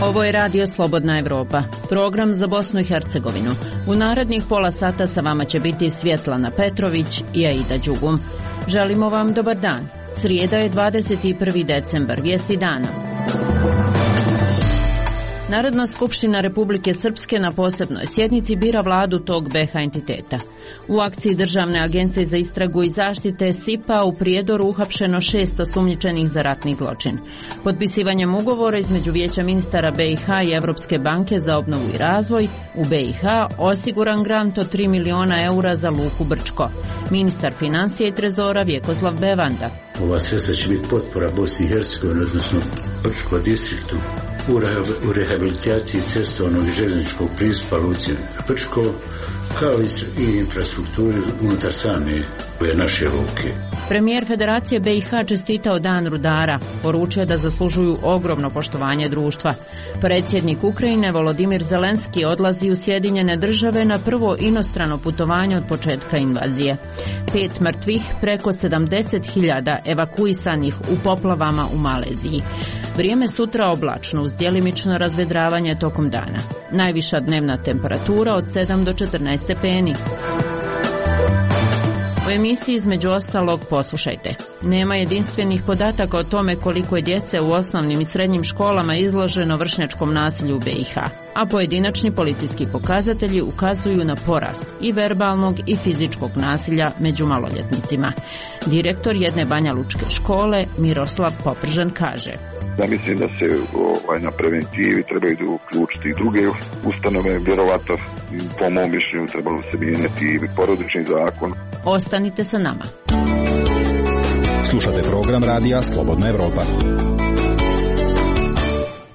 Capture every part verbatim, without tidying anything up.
Ovo je Radio Slobodna Evropa, program za Bosnu i Hercegovinu. U narednih pola sata sa vama će biti Svjetlana Petrović i Aida Đugum. Želimo vam dobar dan. Srijeda je dvadeset prvi decembar, vijesti dana. Narodna skupština Republike Srpske na posebnoj sjednici bira vladu tog be ha entiteta. U akciji Državne agencije za istragu i zaštite S I P-a u Prijedoru uhapšeno šest osumnjičenih za ratni zločin. Potpisivanjem ugovora između Vijeća ministara be i ha i Evropske banke za obnovu i razvoj u be i ha osiguran grant od tri miliona eura za luku Brčko. Ministar financija i trezora Vjekoslav Bevanda. Ova sredstva će biti potpora Bosni i Hercegovini, odnosno Brčko distriktu, u rehabilitaciji cestovnog i željezničkog pristupa luci Brčko, kao i infrastrukturi unutar same naše luke. Premijer Federacije be i ha čestitao Dan rudara, poručio da zaslužuju ogromno poštovanje društva. Predsjednik Ukrajine Volodimir Zelenski odlazi u Sjedinjene države na prvo inostrano putovanje od početka invazije. Pet mrtvih, preko sedamdeset hiljada evakuisanih u poplavama u Maleziji. Vrijeme sutra oblačno uz djelimično razvedravanje tokom dana. Najviša dnevna temperatura od sedam do četrnaest stepeni. U emisiji između ostalog poslušajte. Nema jedinstvenih podataka o tome koliko je djece u osnovnim i srednjim školama izloženo vršnjačkom nasilju u be i ha, a pojedinačni policijski pokazatelji ukazuju na porast i verbalnog i fizičkog nasilja među maloljetnicima. Direktor jedne banjalučke škole Miroslav Popržan kaže: Ja mislim da se ovaj, na preventivi trebaju uključiti i druge ustanove, vjerovatno po mom mišljenju trebalo se mijenjati i porodični zakon. Ostanite sa nama. Slušate program Radija Slobodna Evropa.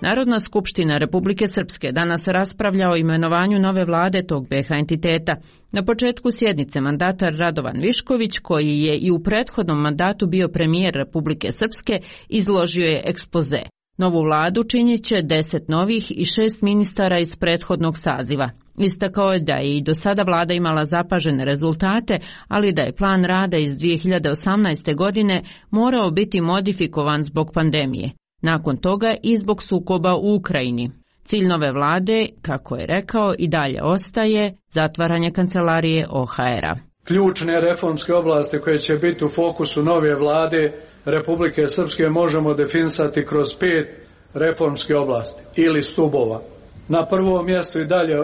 Narodna skupština Republike Srpske danas raspravlja o imenovanju nove vlade tog be ha entiteta. Na početku sjednice mandatar Radovan Višković, koji je i u prethodnom mandatu bio premijer Republike Srpske, izložio je ekspoze. Novu vladu činit će deset novih i šest ministara iz prethodnog saziva. Istakao je da je i do sada vlada imala zapažene rezultate, ali da je plan rada iz dvije hiljade osamnaeste. godine morao biti modifikovan zbog pandemije. Nakon toga i zbog sukoba u Ukrajini. Cilj nove vlade, kako je rekao, i dalje ostaje zatvaranje kancelarije o ha era. Ključne reformske oblasti koje će biti u fokusu nove vlade Republike Srpske možemo definisati kroz pet reformske oblasti ili stubova. Na prvom mjestu i dalje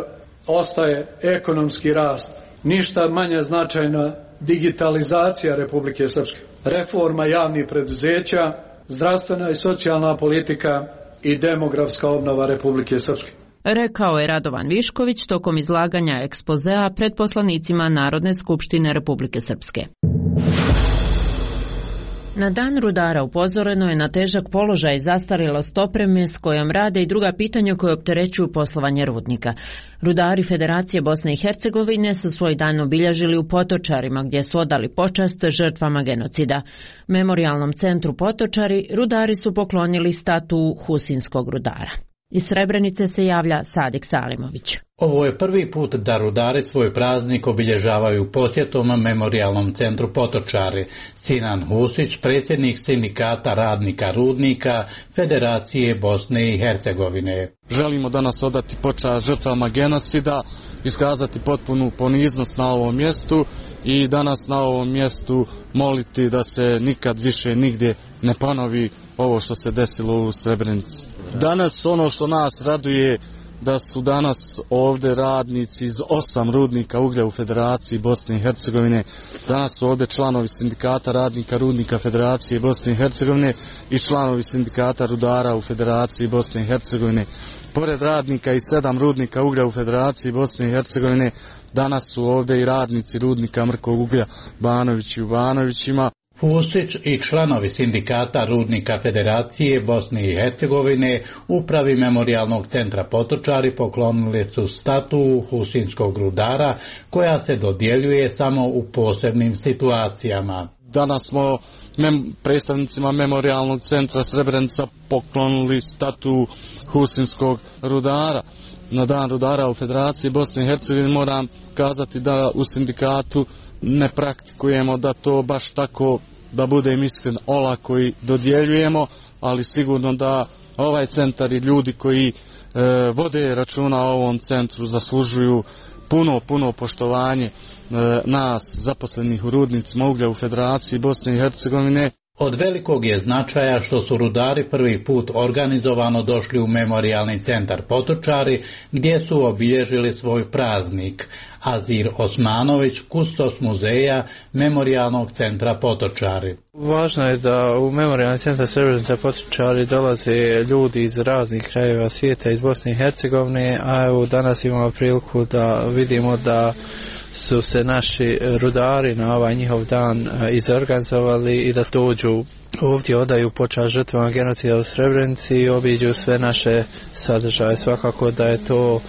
ostaje ekonomski rast, ništa manje značajna digitalizacija Republike Srpske, reforma javnih preduzeća, zdravstvena i socijalna politika i demografska obnova Republike Srpske. Rekao je Radovan Višković tokom izlaganja ekspozea pred poslanicima Narodne skupštine Republike Srpske. Na Dan rudara upozoreno je na težak položaj i zastarjelost opreme s kojom rade i druga pitanja koje opterećuju poslovanje rudnika. Rudari Federacije Bosne i Hercegovine su svoj dan obilježili u Potočarima, gdje su odali počast žrtvama genocida. Memorijalnom centru Potočari rudari su poklonili statu Husinskog rudara. Iz Srebrenice se javlja Sadik Salimović. Ovo je prvi put da rudari svoj praznik obilježavaju posjetom Memorijalnom centru Potočari. Sinan Husić, predsjednik sindikata radnika rudnika Federacije Bosne i Hercegovine. Želimo danas odati počast žrtvama genocida, iskazati potpunu poniznost na ovom mjestu i danas na ovom mjestu moliti da se nikad više nigdje ne ponovi ovo što se desilo u Srebrenici. Danas ono što nas raduje da su danas ovdje radnici iz osam rudnika uglja u Federaciji Bosne i Hercegovine. Danas su ovdje članovi sindikata radnika rudnika Federacije Bosne i Hercegovine i članovi sindikata rudara u Federaciji Bosne i Hercegovine. Pored radnika i sedam rudnika uglja u Federaciji Bosne i Hercegovine, danas su ovdje i radnici rudnika mrkog uglja Banovići u Banovićima. Husić i članovi sindikata rudnika Federacije Bosne i Hercegovine upravi Memorijalnog centra Potočari poklonili su statu Husinskog rudara, koja se dodjeljuje samo u posebnim situacijama. Danas smo mem, predstavnicima Memorijalnog centra Srebrenica poklonili statu Husinskog rudara. Na Dan rudara u Federaciji Bosne i Hercegovine moram kazati da u sindikatu ne praktikujemo da to baš tako, da budem iskren, olako i dodjeljujemo, ali sigurno da ovaj centar i ljudi koji e, vode računa o ovom centru zaslužuju puno, puno poštovanje e, nas zaposlenih u rudnicima uglja u Federaciji Bosne i Hercegovine. Od velikog je značaja što su rudari prvi put organizovano došli u memorijalni centar Potočari, gdje su obilježili svoj praznik. Azir Osmanović, kustos muzeja memorijalnog centra Potočari. Važno je da u memorijalni centar Srebrenica Potočari dolaze ljudi iz raznih krajeva svijeta, iz Bosne i Hercegovine, a evo danas imamo priliku da vidimo da su se naši rudari na ovaj njihov dan izorganizovali i da dođu ovdje, odaju počast žrtvama genocida u Srebrenici i obiđu sve naše sadržaje. Svakako da je to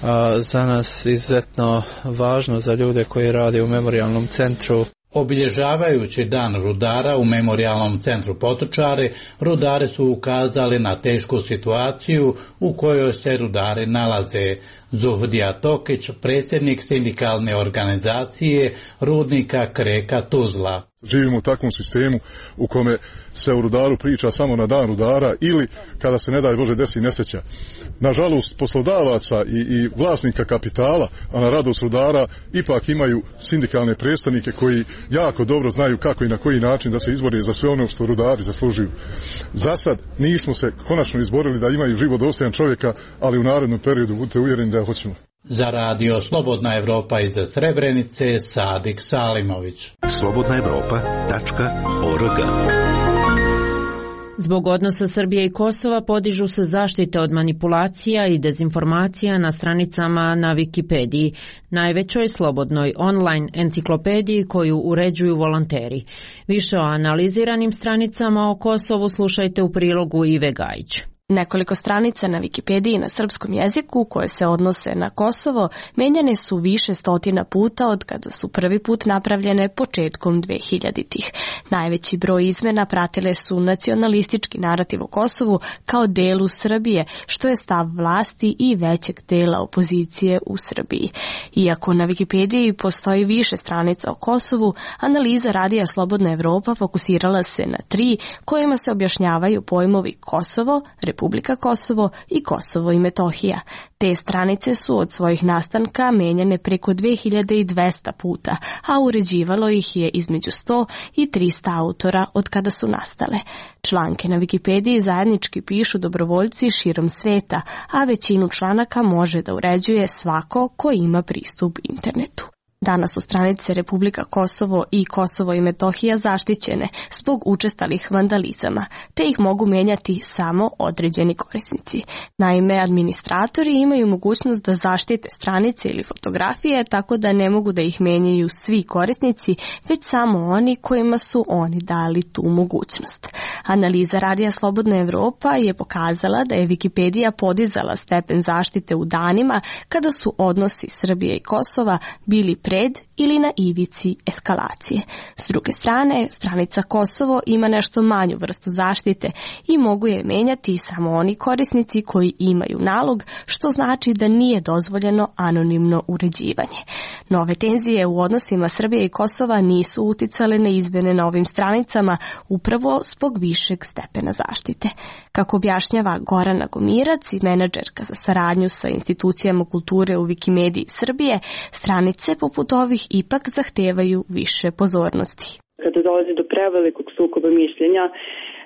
a, za nas izuzetno važno, za ljude koji rade u memorijalnom centru. Obilježavajući dan rudara u memorijalnom centru Potočari, rudari su ukazali na tešku situaciju u kojoj se rudari nalaze. Zuhdija Tokić, predsjednik sindikalne organizacije rudnika Kreka Tuzla. Živimo u takvom sistemu u kome se o rudaru priča samo na dan rudara ili kada se ne daj Bože desi nesreća. Nažalost, poslodavaca i, i vlasnika kapitala, a na radost rudara, ipak imaju sindikalne predstavnike koji jako dobro znaju kako i na koji način da se izbore za sve ono što rudari zaslužuju. Za sad nismo se konačno izborili da imaju život dostojan čovjeka, ali u narednom periodu budite uvjereni da hoćemo. Za radio Slobodna Evropa iz Srebrenice, Sadik Salimović. slobodna evropa tačka org. Zbog odnosa Srbije i Kosova podižu se zaštite od manipulacija i dezinformacija na stranicama na Wikipediji, najvećoj slobodnoj online enciklopediji koju uređuju volonteri. Više o analiziranim stranicama o Kosovu slušajte u prilogu Ive Gajić. Nekoliko stranica na Wikipediji na srpskom jeziku koje se odnose na Kosovo menjane su više stotina puta od kada su prvi put napravljene početkom dvehiljaditih. Najveći broj izmena pratile su nacionalistički narativ o Kosovu kao delu Srbije, što je stav vlasti i većeg dela opozicije u Srbiji. Iako na Wikipediji postoji više stranica o Kosovu, analiza radija Slobodna Evropa fokusirala se na tri kojima se objašnjavaju pojmovi Kosovo, Republika Kosovo i Kosovo i Metohija. Te stranice su od svojih nastanka menjane preko dve hiljade dvesta puta, a uređivalo ih je između sto i trista autora od kada su nastale. Članke na Wikipediji zajednički pišu dobrovoljci širom sveta, a većinu članaka može da uređuje svako ko ima pristup internetu. Danas su stranice Republika Kosovo i Kosovo i Metohija zaštićene zbog učestalih vandalizama, te ih mogu menjati samo određeni korisnici. Naime, administratori imaju mogućnost da zaštite stranice ili fotografije tako da ne mogu da ih menjaju svi korisnici, već samo oni kojima su oni dali tu mogućnost. Analiza radija Slobodna Evropa je pokazala da je Wikipedija podizala stepen zaštite u danima kada su odnosi Srbije i Kosova bili pred ili na ivici eskalacije. S druge strane, stranica Kosovo ima nešto manju vrstu zaštite i mogu je menjati samo oni korisnici koji imaju nalog, što znači da nije dozvoljeno anonimno uređivanje. Nove tenzije u odnosima Srbije i Kosova nisu uticale na izmjene na ovim stranicama upravo zbog višeg stepena zaštite. Kako objašnjava Gorana Gomirac i menadžerka za saradnju sa institucijama kulture u Wikimediji Srbije, stranice poput ovih ipak zahtevaju više pozornosti. Kada dolazi do prevelikog sukoba mišljenja,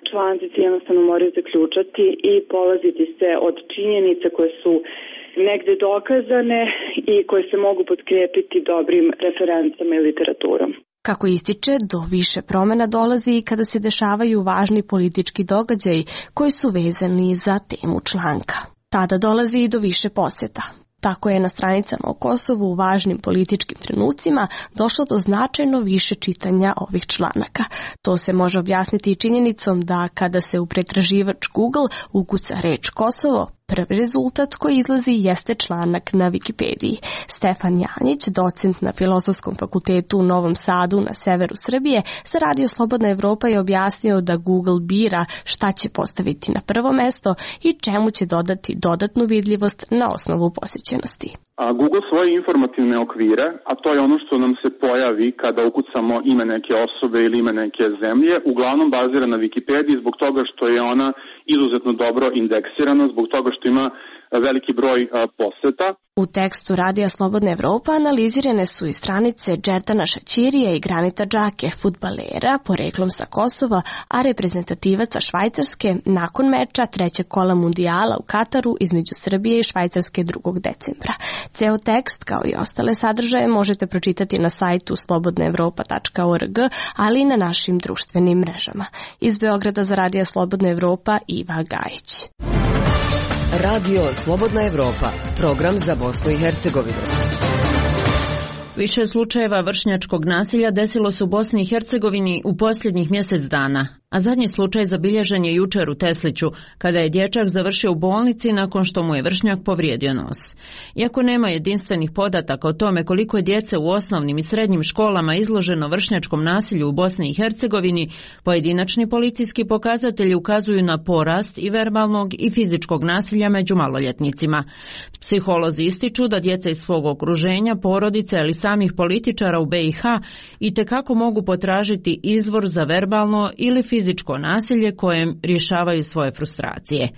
članci se jednostavno moraju zaključati i polaziti se od činjenica koje su negde dokazane i koje se mogu potkrijepiti dobrim referencama i literaturom. Kako ističe, do više promjena dolazi i kada se dešavaju važni politički događaji koji su vezani za temu članka. Tada dolazi i do više posjeta. Tako je na stranicama o Kosovu u važnim političkim trenucima došlo do značajno više čitanja ovih članaka. To se može objasniti i činjenicom da kada se u pretraživač Google ukuca reč Kosovo, prvi rezultat koji izlazi jeste članak na Wikipediji. Stefan Janjić, docent na Filozofskom fakultetu u Novom Sadu na severu Srbije, za radio Slobodna Evropa je objasnio da Google bira šta će postaviti na prvo mesto i čemu će dodati dodatnu vidljivost na osnovu posjećenosti. A Google svoje informativne okvire, a to je ono što nam se pojavi kada ukucamo ime neke osobe ili ime neke zemlje, uglavnom bazira na Wikipediji zbog toga što je ona izuzetno dobro indeksirana, zbog toga što ima veliki broj poseta. U tekstu Radija Slobodna Evropa analizirane su i stranice Džerdana Šaćirija i Granita Džake, fudbalera, poreklom sa Kosova, a reprezentativaca Švajcarske nakon meča trećeg kola mundijala u Kataru između Srbije i Švajcarske drugog decembra. Ceo tekst, kao i ostale sadržaje, možete pročitati na sajtu slobodna evropa tačka org, ali i na našim društvenim mrežama. Iz Beograda za Radija Slobodna Evropa, Iva Gajić. Radio Slobodna Evropa, program za Bosnu i Hercegovinu. Više slučajeva vršnjačkog nasilja desilo se u Bosni i Hercegovini u posljednjih mjesec dana, a zadnji slučaj zabilježen je jučer u Tesliću, kada je dječak završio u bolnici nakon što mu je vršnjak povrijedio nos. Iako nema jedinstvenih podataka o tome koliko je djece u osnovnim i srednjim školama izloženo vršnjačkom nasilju u Bosni i Hercegovini, pojedinačni policijski pokazatelji ukazuju na porast i verbalnog i fizičkog nasilja među maloljetnicima. Psiholozi ističu da djeca iz svog okruženja, porodice ili samih političara u B i H itekako mogu potražiti izvor za verbalno ili fizičko nasilje kojem rješavaju svoje frustracije.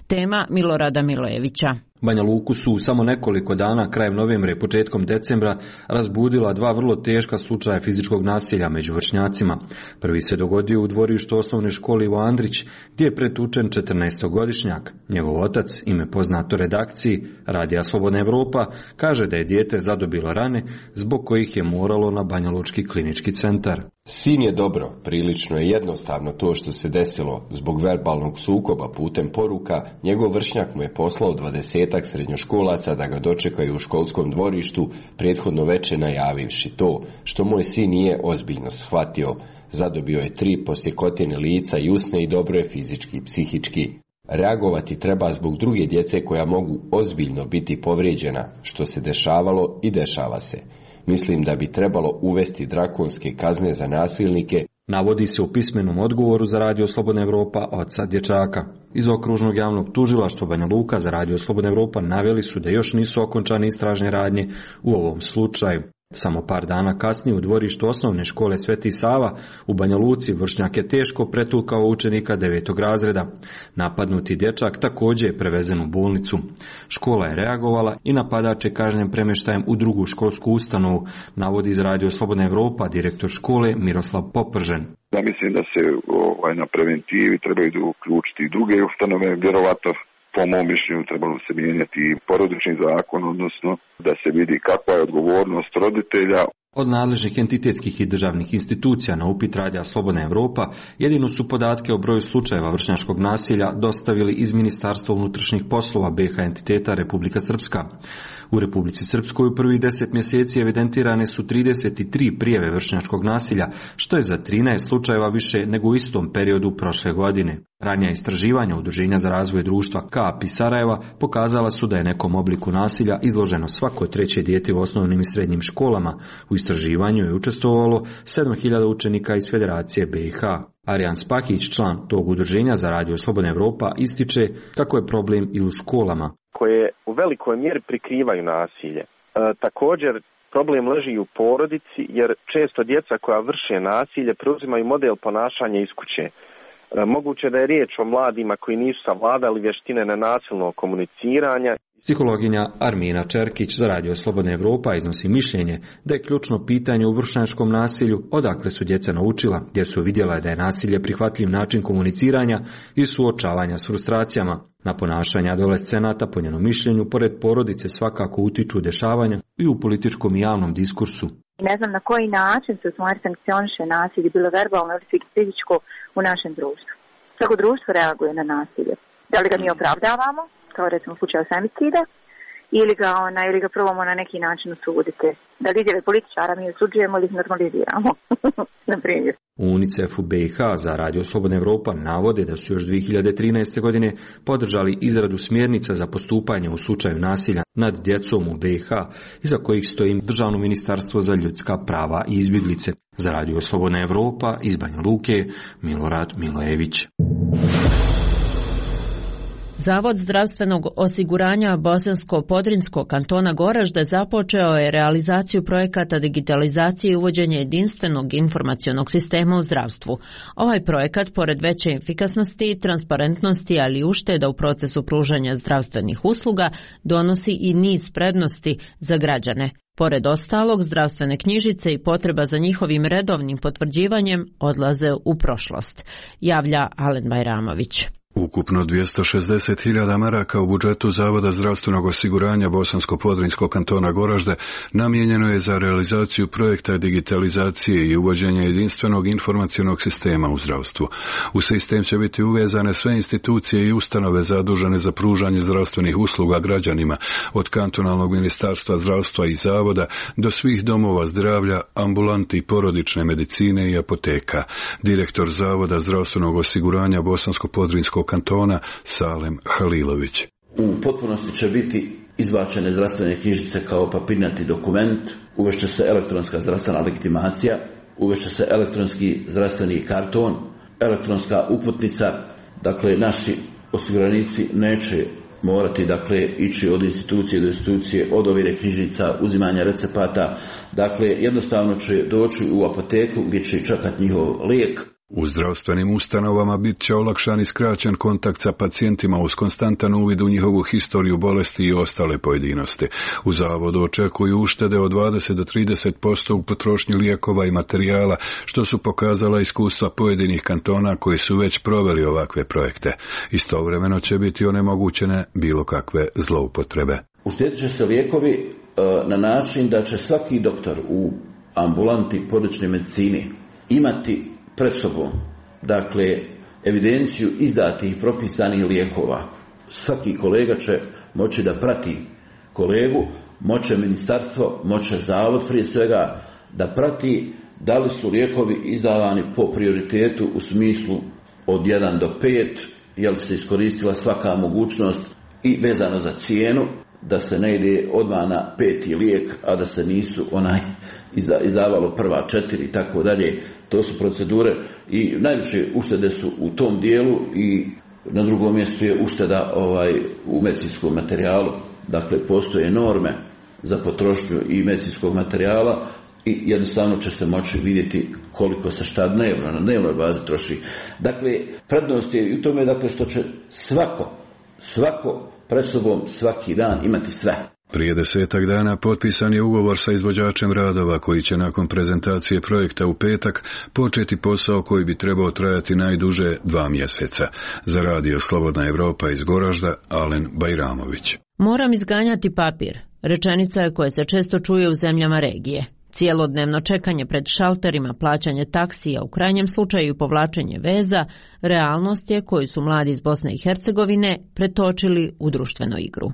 Tema Milorada Milojevića. Banja Luku su samo nekoliko dana krajem novembra i početkom decembra razbudila dva vrlo teška slučaja fizičkog nasilja među vršnjacima. Prvi se dogodio u dvorištu osnovne škole Ivo Andrić, gdje je pretučen četrnaestogodišnjak. Njegov otac, ime poznato redakciji Radija Slobodna Evropa, kaže da je dijete zadobilo rane zbog kojih je moralo na Banjalučki klinički centar. Sin je dobro, prilično je jednostavno to što se desilo. Zbog verbalnog sukoba putem poruka, njegov vršnjak mu je poslao dvadesetak srednjoškolaca da ga dočekaju u školskom dvorištu, prethodno veče najavivši to, što moj sin nije ozbiljno shvatio. Zadobio je tri posjekotine lica i usne i dobro je fizički i psihički. Reagovati treba zbog druge djece koja mogu ozbiljno biti povrijeđena, što se dešavalo i dešava se. Mislim da bi trebalo uvesti drakonske kazne za nasilnike. Navodi se u pismenom odgovoru za Radio Slobodna Evropa oca dječaka. Iz okružnog javnog tužilaštva Banja Luka za Radio Slobodna Evropa naveli su da još nisu okončane istražne radnje u ovom slučaju. Samo par dana kasnije u dvorištu osnovne škole Sveti Sava u Banja Luci vršnjak je teško pretukao učenika devetog razreda. Napadnuti dječak također je prevezen u bolnicu. Škola je reagovala i napadač je kažnjen premještajem u drugu školsku ustanovu, navodi iz Radio Slobodna Evropa direktor škole Miroslav Popržen. Ja mislim da se ovaj, na preventivi trebaju uključiti i druge ustanove, vjerovatno. Po mom mišljenju trebalo se mijenjati porodični zakon, odnosno da se vidi kakva je odgovornost roditelja. Od nadležnih entitetskih i državnih institucija na upit Radija Slobodna Evropa jedino su podatke o broju slučajeva vršnjačkog nasilja dostavili iz Ministarstva unutrašnjih poslova B H entiteta Republika Srpska. U Republici Srpskoj u prvih deset mjeseci evidentirane su trideset tri prijave vršnjačkog nasilja, što je za trinaest slučajeva više nego u istom periodu prošle godine. Ranija istraživanja Udruženja za razvoj društva K A P I Sarajeva pokazala su da je nekom obliku nasilja izloženo svako treće dijete u osnovnim i srednjim školama. U istraživanju je učestvovalo sedam hiljada učenika iz Federacije B i H. Arijan Spakić, član tog udruženja za Radio Slobodna Evropa, ističe kako je problem i u školama, koje u velikoj mjeri prikrivaju nasilje. E, također, problem leži i u porodici, jer često djeca koja vrše nasilje preuzimaju model ponašanja iz kuće. E, moguće da je riječ o mladima koji nisu savladali vještine nenasilnog komuniciranja. Psihologinja Armina Čerkić za Radio Slobodna Evropa iznosi mišljenje da je ključno pitanje u vršnjačkom nasilju odakle su djeca naučila, gdje su vidjela da je nasilje prihvatljiv način komuniciranja i suočavanja s frustracijama. Na ponašanje adolescenata, po njenom mišljenju, pored porodice svakako utiču dešavanja i u političkom i javnom diskursu. Ne znam na koji način se u stvari sankcioniše nasilje, bilo verbalno ili fizičko, u našem društvu. Svako društvo reaguje na nasilje. Da li ga mi opravdavamo, kao recimo u slučaju femicida, ili ga, ona, ili ga probamo na neki način osuditi. Da li izjave političara mi osuđujemo ili ih normaliziramo, na primjer. U UNICEF u B i H za Radio Slobodna Evropa navode da su još dvije hiljade trinaeste. godine podržali izradu smjernica za postupanje u slučaju nasilja nad djecom u B i H, iza kojih stoji Državno ministarstvo za ljudska prava i izbjeglice. Za Radio Slobodna Evropa iz Banja Luke, Milorad Milojević. Zavod zdravstvenog osiguranja Bosansko-Podrinjskog kantona Goražde započeo je realizaciju projekata digitalizacije i uvođenja jedinstvenog informacionog sistema u zdravstvu. Ovaj projekat, pored veće efikasnosti i transparentnosti, ali i ušteda u procesu pružanja zdravstvenih usluga, donosi i niz prednosti za građane. Pored ostalog, zdravstvene knjižice i potreba za njihovim redovnim potvrđivanjem odlaze u prošlost, javlja Alen Bajramović. Ukupno dvjesto šezdeset hiljada maraka u budžetu Zavoda zdravstvenog osiguranja Bosansko-Podrinjskog kantona Goražde namijenjeno je za realizaciju projekta digitalizacije i uvođenja jedinstvenog informacionog sistema u zdravstvu. U sistem će biti uvezane sve institucije i ustanove zadužene za pružanje zdravstvenih usluga građanima, od kantonalnog ministarstva zdravstva i zavoda do svih domova zdravlja, ambulanti porodične medicine i apoteka. Direktor Zavoda zdravstvenog osiguranja Bosansko-Podrinjskog kantona Salem Halilović. U potpunosti će biti izbačene zdravstvene knjižice kao papirnati dokument, uvešće se elektronska zdravstvena legitimacija, uvešće se elektronski zdravstveni karton, elektronska uputnica. Dakle, naši osiguranici neće morati dakle ići od institucije do institucije, od ovire knjižica, uzimanja recepata. Dakle, jednostavno će doći u apoteku gdje će čekati njihov lijek. U zdravstvenim ustanovama bit će olakšan i skraćen kontakt sa pacijentima uz konstantan uvid u njihovu historiju bolesti i ostale pojedinosti. U zavodu očekuju uštede od dvadeset do trideset posto u potrošnji lijekova i materijala, što su pokazala iskustva pojedinih kantona koji su već proveli ovakve projekte. Istovremeno će biti onemogućene bilo kakve zloupotrebe. Uštedit će se lijekovi na način da će svaki doktor u ambulanti porodične medicine imati pred sobom, dakle, evidenciju izdatih i propisanih lijekova. Svaki kolega će moći da prati kolegu, moće ministarstvo, moće zavod prije svega da prati da li su lijekovi izdavani po prioritetu u smislu od jedan do pet, je li se iskoristila svaka mogućnost i vezano za cijenu, da se ne ide odmah na peti lijek, a da se nisu onaj izdavalo prva četiri i tako dalje. To su procedure i najveće uštede su u tom dijelu i na drugom mjestu je ušteda ovaj, u medicinskom materijalu. Dakle, postoje norme za potrošnju i medicinskog materijala i jednostavno će se moći vidjeti koliko se šta dnevno, na dnevnoj bazi troši. Dakle, prednost je u tome dakle, što će svako, svako pred sobom svaki dan imati sve. Prije desetak dana potpisan je ugovor sa izvođačem radova koji će nakon prezentacije projekta u petak početi posao koji bi trebao trajati najduže dva mjeseca. Za radio Slobodna Evropa iz Goražda, Alen Bajramović. Moram izganjati papir. Rečenica je koja se često čuje u zemljama regije. Cijelodnevno čekanje pred šalterima, plaćanje taksija, u krajnjem slučaju povlačenje veza, realnost je koju su mladi iz Bosne i Hercegovine pretočili u društvenu igru.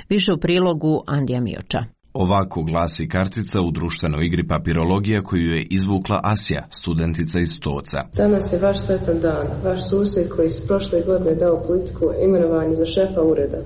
Više u prilogu Andija Mioča. Ovako glasi kartica u društvenoj igri papirologija koju je izvukla Asja, studentica iz Stoca. Danas je vaš sretan dan. Vaš susjed koji se prošle godine dao politiku imenovanje za šefa ureda.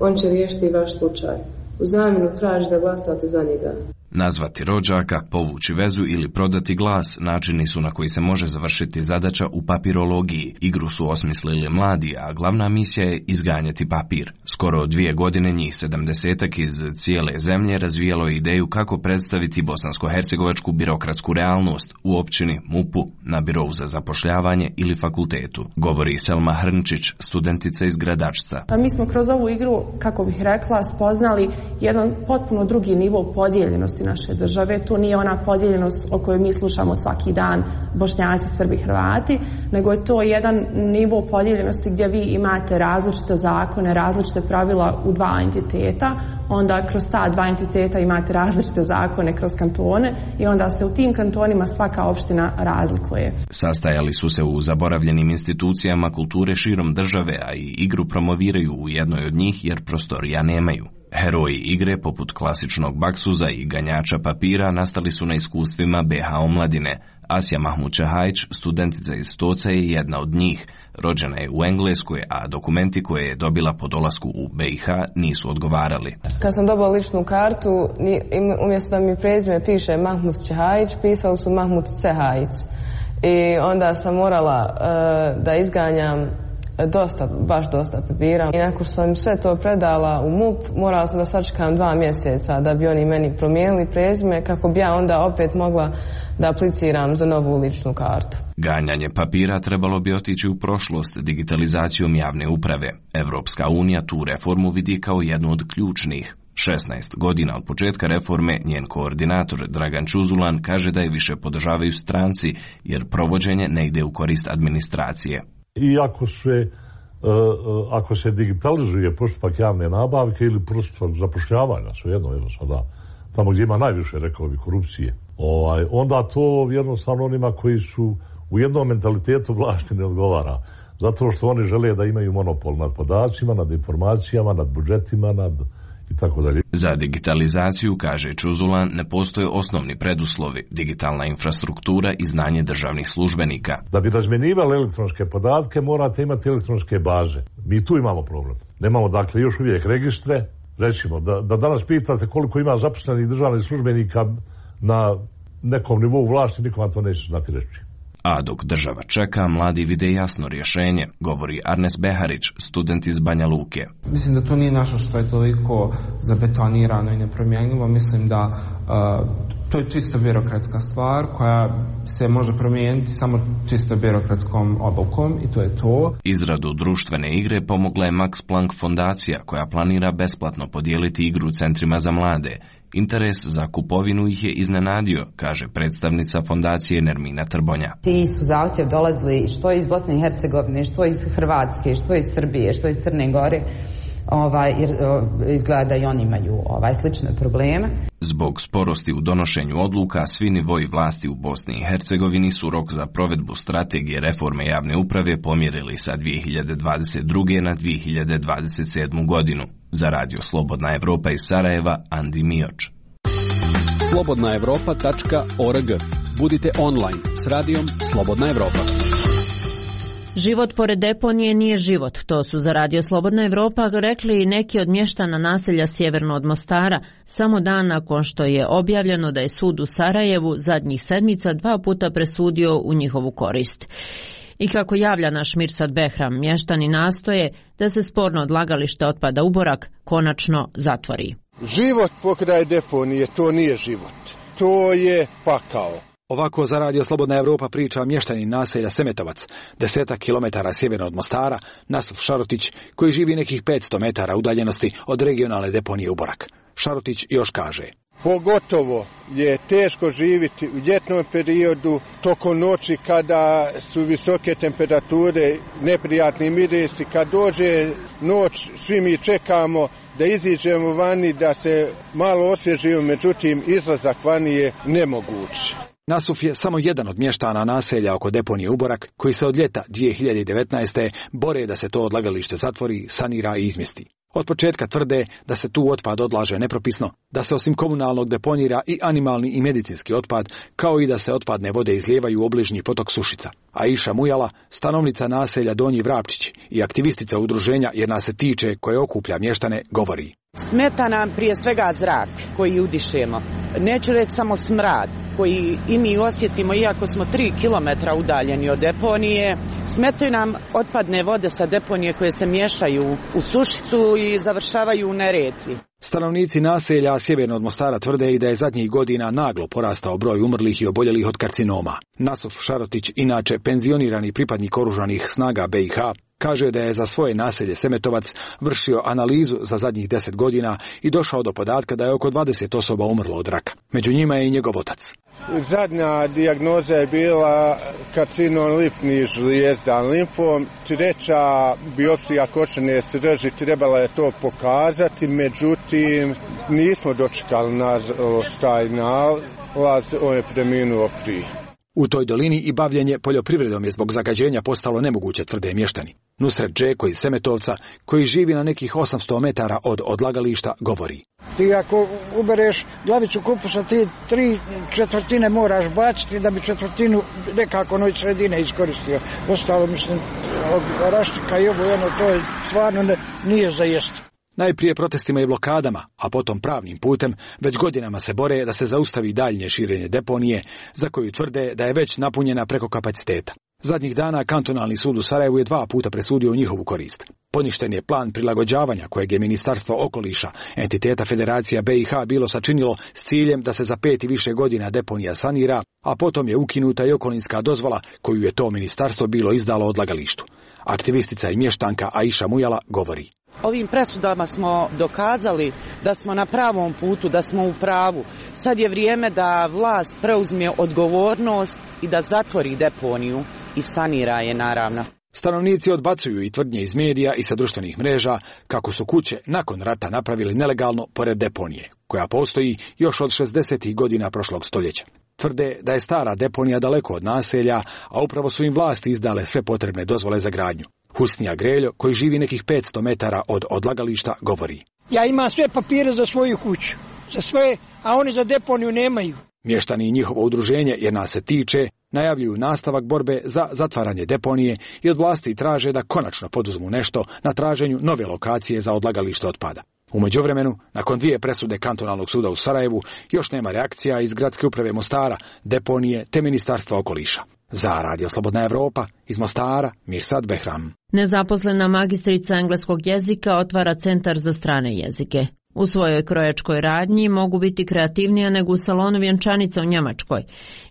On će riješiti vaš slučaj. U zamjenu traži da glasate za njega. Nazvati rođaka, povući vezu ili prodati glas načini su na koji se može završiti zadaća u papirologiji. Igru su osmislili mladi, a glavna misija je izganjati papir. Skoro dvije godine njih sedamdesetak iz cijele zemlje razvijalo je ideju kako predstaviti bosansko-hercegovačku birokratsku realnost u općini, mupu, na birovu za zapošljavanje ili fakultetu. Govori Selma Hrnčić, studentica iz Gradačca. Pa mi smo kroz ovu igru, kako bih rekla, spoznali jedan potpuno drugi nivo podijeljenosti naše države. To nije ona podijeljenost o kojoj mi slušamo svaki dan, Bošnjaci, Srbi, Hrvati, nego je to jedan nivo podijeljenosti gdje vi imate različite zakone, različite pravila u dva entiteta, onda kroz ta dva entiteta imate različite zakone kroz kantone i onda se u tim kantonima svaka opština razlikuje. Sastajali su se u zaboravljenim institucijama kulture širom države, a i igru promoviraju u jednoj od njih jer prostorija nemaju. Heroji igre, poput klasičnog baksuza i ganjača papira, nastali su na iskustvima be ha omladine. Asja Mahmud-Čahajić, studentica iz Stoca, je jedna od njih. Rođena je u Engleskoj, a dokumenti koje je dobila po dolasku u be i ha nisu odgovarali. Kad sam dobila ličnu kartu, umjesto da mi prezime piše Mahmud-Čahajić, pisalo su Mahmud-Cehajić. I onda sam morala uh, da izganjam dosta, baš dosta papira. I nakon što sam sve to predala u M U P, morala sam da sačekam dva mjeseca da bi oni meni promijenili prezime kako bi ja onda opet mogla da apliciram za novu ličnu kartu. Ganjanje papira trebalo bi otići u prošlost digitalizacijom javne uprave. Evropska unija tu reformu vidi kao jednu od ključnih. šesnaest godina od početka reforme njen koordinator Dragan Čuzulan kaže da je više podržavaju stranci jer provođenje ne ide u korist administracije. I ako se, ako se digitalizuje postupak javne nabavke ili postupak zapošljavanja, svejedno, evo sada, tamo gdje ima najviše, rekao bi, korupcije, ovaj, onda to jednostavno onima koji su u jednom mentalitetu vlasti ne odgovara. Zato što oni žele da imaju monopol nad podacima, nad informacijama, nad budžetima, nad i tako dalje. Za digitalizaciju, kaže Čuzulan, ne postoje osnovni preduslovi, digitalna infrastruktura i znanje državnih službenika. Da bi razmjenjivali elektronske podatke, morate imati elektronske baze. Mi tu imamo problem. Nemamo, dakle, još uvijek registre. Recimo, da, da danas pitate koliko ima zaposlenih državnih službenika na nekom nivou vlasti, nikom to neće znati reći. A dok država čeka, mladi vide jasno rješenje, govori Arnes Beharić, student iz Banja Luke. Mislim da to nije nešto što je toliko zabetonirano i nepromjenjivo. Mislim da uh, to je čisto birokratska stvar koja se može promijeniti samo čisto birokratskom obukom i to je to. Izradu društvene igre pomogla je Max Planck fondacija koja planira besplatno podijeliti igru u centrima za mlade. Interes za kupovinu ih je iznenadio, kaže predstavnica fondacije Nermina Trbonja. Ti su zahtjev dolazili što iz Bosne i Hercegovine, što iz Hrvatske, što iz Srbije, što iz Crne Gore, ovaj, jer izgleda da i oni imaju ovaj, slične probleme. Zbog sporosti u donošenju odluka, svi nivoji vlasti u Bosni i Hercegovini su rok za provedbu strategije reforme javne uprave pomjerili sa dvije hiljade dvadeset druge. na dvije hiljade dvadeset sedmu. godinu. Za Radio Slobodna Evropa iz Sarajeva, Andi Mioč. slobodna evropa tačka org. Budite online s radijom Slobodna Evropa. Život pored deponije nije život, to su za Radio Slobodna Evropa rekli i neki od mještana naselja sjeverno od Mostara, samo dan nakon što je objavljeno da je sud u Sarajevu zadnjih sedmica dva puta presudio u njihovu korist. I kako javlja naš Mirsad Behram, mještani nastoje da se sporno odlagalište otpada Uborak konačno zatvori. Život pokraj deponije, to nije život, to je pakao. Ovako za Radio Slobodna Evropa priča mještanin naselja Semetovac, desetak kilometara sjeverno od Mostara, Nasuf Šarotić, koji živi nekih petsto metara udaljenosti od regionalne deponije Uborak. Šarotić još kaže: Pogotovo je teško živjeti u ljetnom periodu, tokom noći kada su visoke temperature, neprijatni mirisi. Kad dođe noć, svi mi čekamo da iziđemo vani, da se malo osvježimo, međutim izlazak vani je nemoguć. Nasuf je samo jedan od mještana naselja oko deponije Uborak, koji se od ljeta dvije hiljade devetnaeste. bore da se to odlagalište zatvori, sanira i izmjesti. Od početka tvrde da se tu otpad odlaže nepropisno, da se osim komunalnog deponira i animalni i medicinski otpad, kao i da se otpadne vode izlijevaju u obližnji potok Sušica. Aisha Mujala, stanovnica naselja Donji Vrapčić i aktivistica udruženja Jer nas se tiče, koje okuplja mještane, govori: Smeta nam prije svega zrak koji udišemo. Neću reći samo smrad koji i mi osjetimo iako smo tri kilometra udaljeni od deponije. Smetaju nam otpadne vode sa deponije koje se miješaju u Sušicu i završavaju u Neretvi. Stanovnici naselja sjeverno od Mostara tvrde i da je zadnjih godina naglo porastao broj umrlih i oboljelih od karcinoma. Nasuf Šarotić, inače penzionirani pripadnik oružanih snaga B i H, kaže da je za svoje naselje Semetovac vršio analizu za zadnjih deset godina i došao do podatka da je oko dvadeset osoba umrlo od raka. Među njima je i njegov otac. Zadnja dijagnoza je bila karcinom limfnih žlijezda, limfom. Treća biopsija koštane srži trebala je to pokazati, međutim nismo dočekali nažalost taj nalaz, on je preminuo prije. U toj dolini i bavljenje poljoprivredom je zbog zagađenja postalo nemoguće, tvrde mještani. Nusret Džeko iz Semetovca, koji živi na nekih osamsto metara od odlagališta, govori: Ti ako ubereš glavicu kupusa, ti tri četvrtine moraš baciti da bi četvrtinu nekako noj sredine iskoristio. Ostalo, mislim, od raštika i ovo jedno, to je stvarno ne, nije za jesti. Najprije protestima i blokadama, a potom pravnim putem, već godinama se bore da se zaustavi daljnje širenje deponije, za koju tvrde da je već napunjena preko kapaciteta. Zadnjih dana kantonalni sud u Sarajevu je dva puta presudio u njihovu korist. Poništen je plan prilagođavanja kojeg je Ministarstvo okoliša, entiteta Federacija B i H bilo sačinilo s ciljem da se za pet i više godina deponija sanira, a potom je ukinuta i okolinska dozvola koju je to ministarstvo bilo izdalo odlagalištu. Aktivistica i mještanka Aisha Mujala govori. Ovim presudama smo dokazali da smo na pravom putu, da smo u pravu. Sad je vrijeme da vlast preuzme odgovornost i da zatvori deponiju i sanira je, naravno. Stanovnici odbacuju i tvrdnje iz medija i sa društvenih mreža kako su kuće nakon rata napravili nelegalno pored deponije, koja postoji još od šezdesetih godina prošlog stoljeća. Tvrde da je stara deponija daleko od naselja, a upravo su im vlasti izdale sve potrebne dozvole za gradnju. Husnija Greljo, koji živi nekih petsto metara od odlagališta, govori. Ja imam sve papire za svoju kuću, za sve, a oni za deponiju nemaju. Mještani i njihovo udruženje, jer nas se tiče, najavljuju nastavak borbe za zatvaranje deponije i od vlasti traže da konačno poduzmu nešto na traženju nove lokacije za odlagalište otpada. U međuvremenu, nakon dvije presude kantonalnog suda u Sarajevu, još nema reakcija iz gradske uprave Mostara, deponije te Ministarstva okoliša. Za Radio Slobodna Evropa, iz Mostara, Mirsad Behram. Nezaposlena magistrica engleskog jezika otvara centar za strane jezike. U svojoj krojačkoj radnji mogu biti kreativnija nego u salonu vjenčanica u Njemačkoj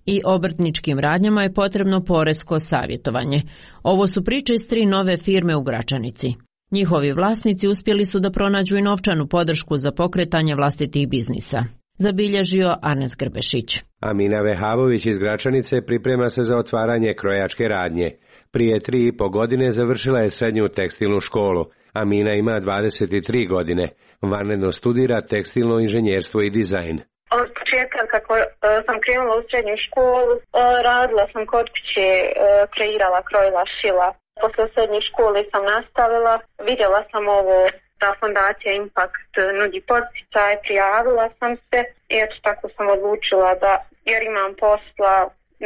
i obrtničkim radnjama je potrebno poresko savjetovanje. Ovo su priče iz tri nove firme u Gračanici. Njihovi vlasnici uspjeli su da pronađu i novčanu podršku za pokretanje vlastitih biznisa. Zabilježio Arnes Grbešić. Amina Vehavović iz Gračanice priprema se za otvaranje krojačke radnje. Prije tri i po godine završila je srednju tekstilnu školu. Amina ima dvadeset tri godine. Vanredno studira tekstilno inženjerstvo i dizajn. Od početka kako sam krenula u srednju školu, radila sam kod kuće, kreirala, krojila, šila. Posle srednje škole sam nastavila, vidjela sam ovo da fondacija Impact nudi podsticaj, prijavila sam se i eto tako sam odlučila da, jer imam posla,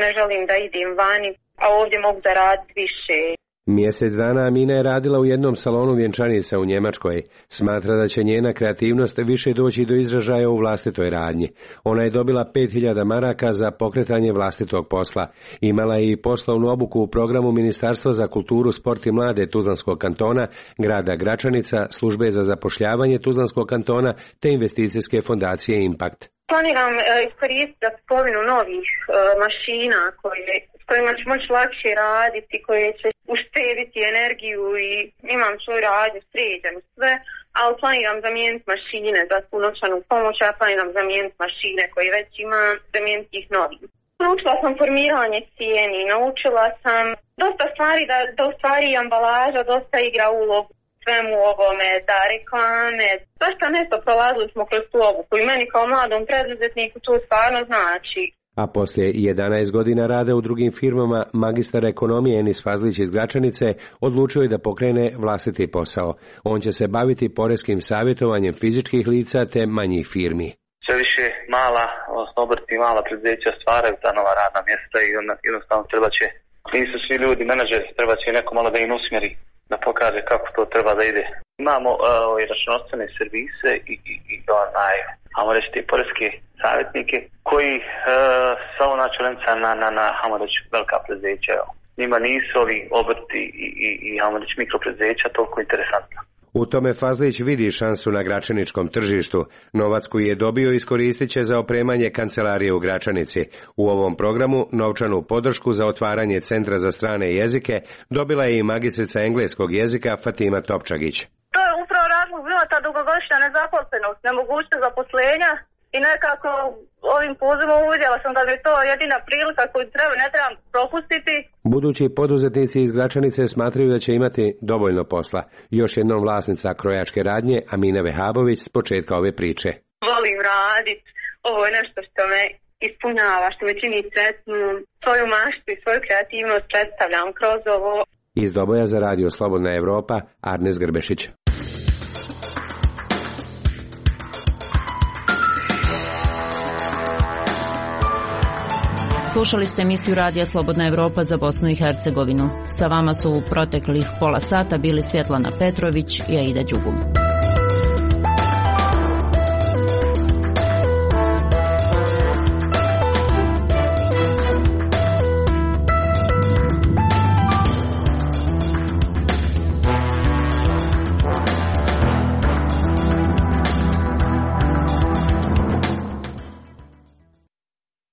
ne želim da idem vani, a ovdje mogu da radim više. Mjesec dana Amina je radila u jednom salonu vjenčanica u Njemačkoj. Smatra da će njena kreativnost više doći do izražaja u vlastitoj radnji. Ona je dobila pet hiljada maraka za pokretanje vlastitog posla. Imala je i poslovnu obuku u programu Ministarstva za kulturu, sport i mlade Tuzlanskog kantona, grada Gračanica, službe za zapošljavanje Tuzlanskog kantona te investicijske fondacije Impact. Planiram e, iskoristiti za kupovinu novih e, mašina koje, s kojima ću moći lakše raditi, koje će uštediti energiju i imam svoju radnju sređenu sve, ali planiram zamijeniti mašine za tu novčanu pomoć, ja planiram zamijeniti mašine koje već imam, zamijeniti ih novim. Naučila sam formiranje cijeni, naučila sam dosta stvari da, da u stvari ambalaža dosta igra ulogu svemu ovome, da reklame, dosta nešto prolazili smo kroz tu obuku i meni kao mladom preduzetniku to stvarno znači. A poslije jedanaest godina rada u drugim firmama, magistar ekonomije Enis Fazlić iz Gračanice odlučio je da pokrene vlastiti posao. On će se baviti poreskim savjetovanjem fizičkih lica te manjih firmi. Sve više mala, odnosno obrti i mala preduzeća stvaraju ta nova radna mjesta i jednostavno treba će, nisu svi ljudi menadžeri, treba će neko malo da im usmjeri, da pokaže kako to treba da ide. Imamo uh, i računovodstvene servise i, i, i onaj, ajmo reći, te poreske savjetnike koji uh, samo načelenca na, na, na ajmo reći, velika preduzeća. Njima nisu ovi obrti i, i, i ajmo reći, mikropreduzeća toliko interesantna. U tome Fazlić vidi šansu na gračaničkom tržištu. Novac koji je dobio iskoristit će za opremanje kancelarije u Gračanici. U ovom programu novčanu podršku za otvaranje centra za strane jezike dobila je i magistrica engleskog jezika Fatima Topčagić. To je upravo razlog bila ta dugogodišnja nezaposlenost, nemogućnost zaposlenja i nekako ovim pozivom uvidjela sam da mi je to jedina prilika koju treba, ne trebam propustiti. Budući poduzetnici iz Gračanice smatraju da će imati dovoljno posla. Još jednom vlasnica krojačke radnje Amina Vehabović s početka ove priče. Volim raditi, ovo je nešto što me ispunjava, što me čini sretnu, svoju maštu i svoju kreativnost predstavljam kroz ovo. Iz Doboja za Radio Slobodna Evropa, Arnes Grbešić. Slušali ste emisiju Radija Slobodna Evropa za Bosnu i Hercegovinu. Sa vama su u proteklih pola sata bili Svjetlana Petrović i Aida Đugum.